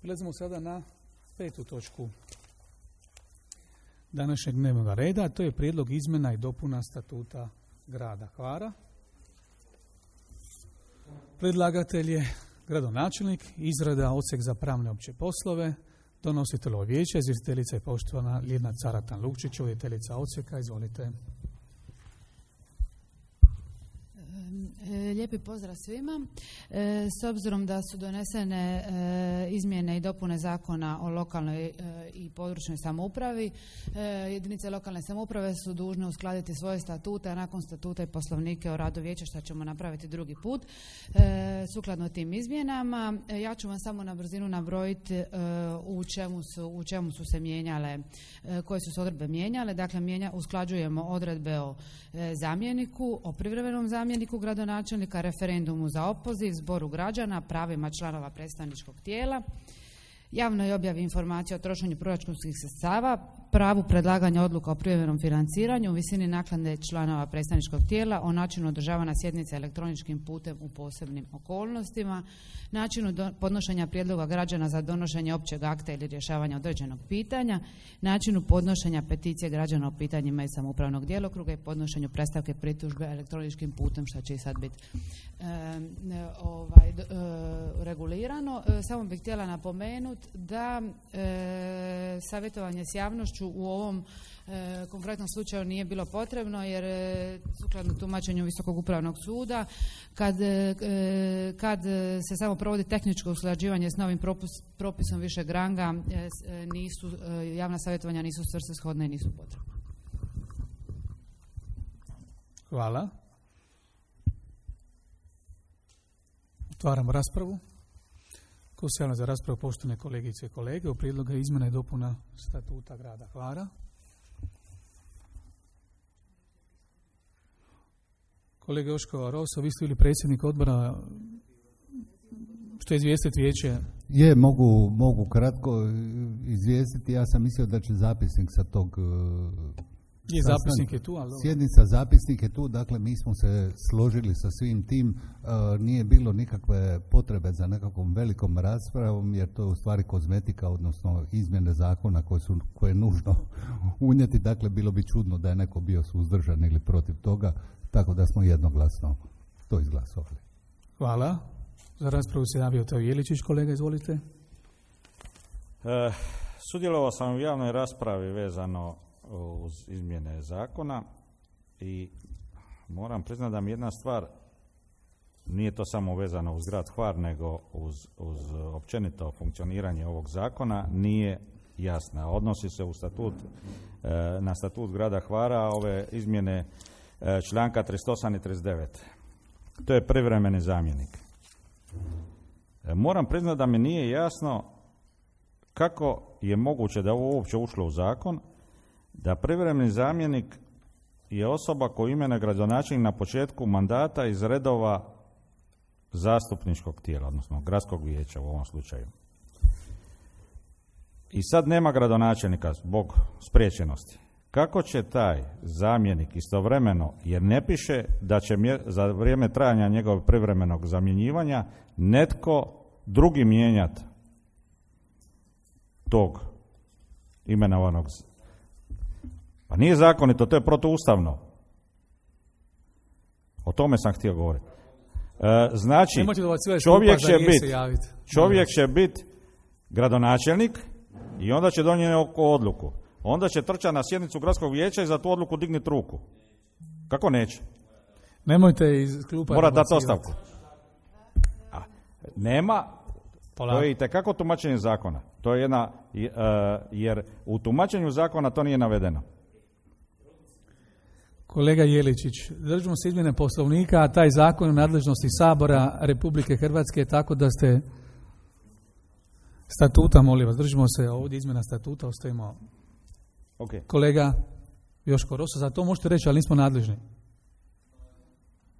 Prelazimo sada na 5. točku današnjeg dnevnog reda, a to je prijedlog izmjena i dopuna statuta grada Hvara. Predlagatelj je gradonačelnik, izrada odsjek za pravne opće poslove, donositelj vijeća, izvjestiteljica je poštovana Ljiljana Caratan-Lukčić, voditeljica odsjeka. Izvolite. Lijepi pozdrav svima. S obzirom da su donesene izmjene i dopune zakona o lokalnoj i područnoj samoupravi, jedinice lokalne samouprave su dužne uskladiti svoje statute, a nakon statuta i poslovnike o radu vijeća, što ćemo napraviti drugi put. Sukladno tim izmjenama, ja ću vam samo na brzinu nabrojiti u čemu su se mijenjale, koje su se odredbe mijenjale. Dakle, usklađujemo odredbe o zamjeniku, o privremenom zamjeniku gradonačelnika, referendumu za opoziv, zboru građana, pravima članova predstavničkog tijela, javnoj objavi informacija o trošenju proračunskih sredstava, pravu predlaganja odluka o privremenom financiranju, visini naknade članova predstavničkog tijela, o načinu održavanja sjednice elektroničkim putem u posebnim okolnostima, načinu podnošenja prijedloga građana za donošenje općeg akta ili rješavanja određenog pitanja, načinu podnošenja peticije građana o pitanjima iz samoupravnog djelokruga i podnošenju predstavke pritužbe elektroničkim putem, što će i sad biti regulirano. Samo bih htjela napomenuti da savjetovanje s javnošću u ovom konkretnom slučaju nije bilo potrebno, jer sukladno tumačenju Visokog upravnog suda, kad se samo provodi tehničko usklađivanje s novim propisom višeg ranga, javna savjetovanja nisu svrsishodna i nisu potrebna. Hvala. Otvaramo raspravu. Ko se javlja za raspravu, poštovane kolegice i kolege, o prijedlogu izmjena i dopuna statuta grada Hvara? Kolega Joško Roso, vi ste bili predsjednik odbora, što je izvijestiti vijeće? Mogu kratko izvijestiti. Ja sam mislio da će zapisnik sa tog zapisnik je tu, ali sjednica, zapisnik je tu, dakle mi smo se složili sa svim tim, nije bilo nikakve potrebe za nekakvom velikom raspravom, jer to je u stvari kozmetika, odnosno izmjene zakona koje je nužno unijeti, dakle bilo bi čudno da je neko bio suzdržan ili protiv toga, tako da smo jednoglasno to izglasovali. Hvala. Za raspravu se javio Teo Jeličić, kolega, izvolite. Sudjelovao sam u javnoj raspravi vezano uz izmjene zakona i moram priznati da mi jedna stvar, nije to samo vezano uz grad Hvar, nego uz općenito funkcioniranje ovog zakona, nije jasna. Odnosi se na statut grada Hvara, ove izmjene članka 38 i 39. To je privremeni zamjenik. Moram priznati da mi nije jasno kako je moguće da ovo uopće ušlo u zakon, da privremeni zamjenik je osoba koju imenuje gradonačelnik na početku mandata iz redova zastupničkog tijela, odnosno gradskog vijeća u ovom slučaju. I sad nema gradonačelnika zbog spriječenosti. Kako će taj zamjenik istovremeno, jer ne piše da će za vrijeme trajanja njegovog privremenog zamjenjivanja netko drugi mijenjati tog imenovanog. Pa nije zakonito, to je protuustavno. O tome sam htio govoriti. Znači, čovjek će biti gradonačelnik i onda će donijeti odluku. Onda će trčati na sjednicu gradskog vijeća i za tu odluku dignuti ruku. Kako neće? Nemojte iz klupa. Mora dati ostavku. Nema. To je itekako tumačenje zakona. To je jer u tumačenju zakona to nije navedeno. Kolega Jeličić, držimo se izmjene Poslovnika, a taj zakon u nadležnosti Sabora Republike Hrvatske je tako da ste statuta, molim vas, držimo se ovdje izmjena statuta, ostajemo. Okay. Kolega Joško Roso, za to možete reći, ali nismo nadležni.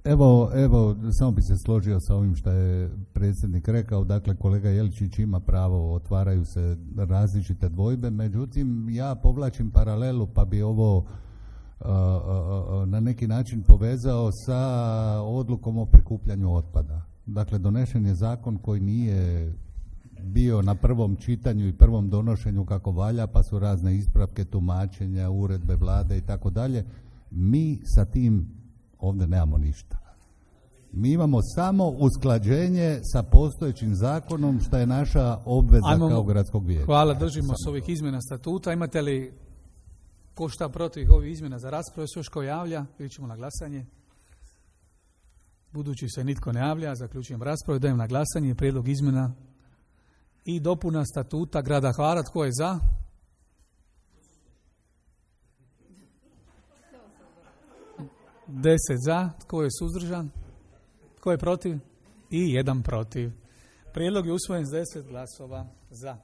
Evo, samo bi se složio sa ovim što je predsjednik rekao, dakle kolega Jeličić ima pravo, otvaraju se različite dvojbe, međutim ja povlačim paralelu pa bi ovo na neki način povezao sa odlukom o prikupljanju otpada. Dakle, donešen je zakon koji nije bio na prvom čitanju i prvom donošenju kako valja, pa su razne ispravke, tumačenja, uredbe vlade i tako dalje. Mi sa tim ovdje nemamo ništa. Mi imamo samo usklađenje sa postojećim zakonom, što je naša obveza kao gradskog vijeća. Hvala, držimo se ovih izmjena statuta. Imate li ko šta protiv ovih izmjena za raspravu? Se još ko javlja? Ili ćemo na glasanje? Budući se nitko ne javlja, zaključujem raspravu, dajem na glasanje prijedlog izmjena i dopuna statuta grada Hvara. Tko je za? Deset za. Tko je suzdržan? Tko je protiv? I jedan protiv. Prijedlog je usvojen s 10 glasova za.